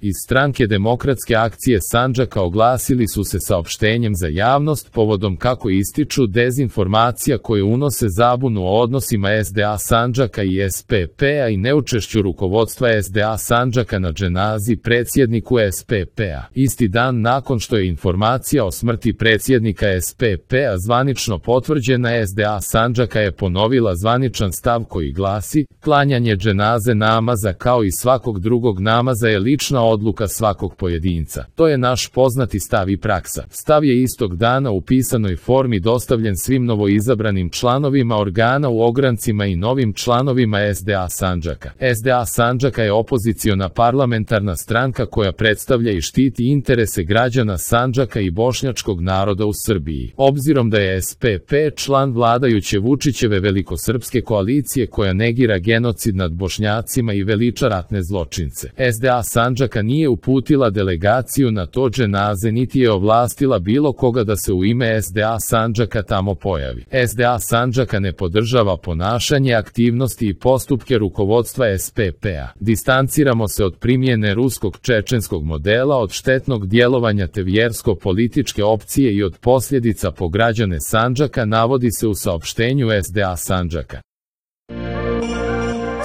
Iz Stranke demokratske akcije Sandžaka oglasili su se saopštenjem za javnost povodom, kako ističu, dezinformacija koje unose zabunu o odnosima SDA Sandžaka i SPP-a i neučešću rukovodstva SDA Sandžaka na dženazi predsjedniku SPP-a. Isti dan nakon što je informacija o smrti predsjednika SPP-a zvanično potvrđena, SDA Sandžaka je ponovila zvaničan stav koji glasi: klanjanje dženaze namaza kao i svakog drugog namaza je lična odluka svakog pojedinca. To je naš poznati stav i praksa. Stav je istog dana u pisanoj formi dostavljen svim novoizabranim članovima organa u ograncima i novim članovima SDA Sandžaka. SDA Sandžaka je opoziciona parlamentarna stranka koja predstavlja i štiti interese građana Sandžaka i bošnjačkog naroda u Srbiji. Obzirom da je SPP član vladajuće Vučićeve velikosrpske koalicije koja negira genocid nad Bošnjacima i veliča ratne zločince, SDA Sandžaka nije uputila delegaciju na to dženaze niti je ovlastila bilo koga da se u ime SDA Sandžaka tamo pojavi. SDA Sandžaka ne podržava ponašanje, aktivnosti i postupke rukovodstva SPP-a. Distanciramo se od primjene ruskog čečenskog modela, od štetnog djelovanja te vjersko-političke opcije i od posljedica po građane Sandžaka, navodi se u saopštenju SDA Sandžaka.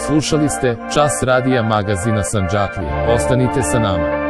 Slušali ste Čas radija magazina Sandžaklija. Ostanite sa nama.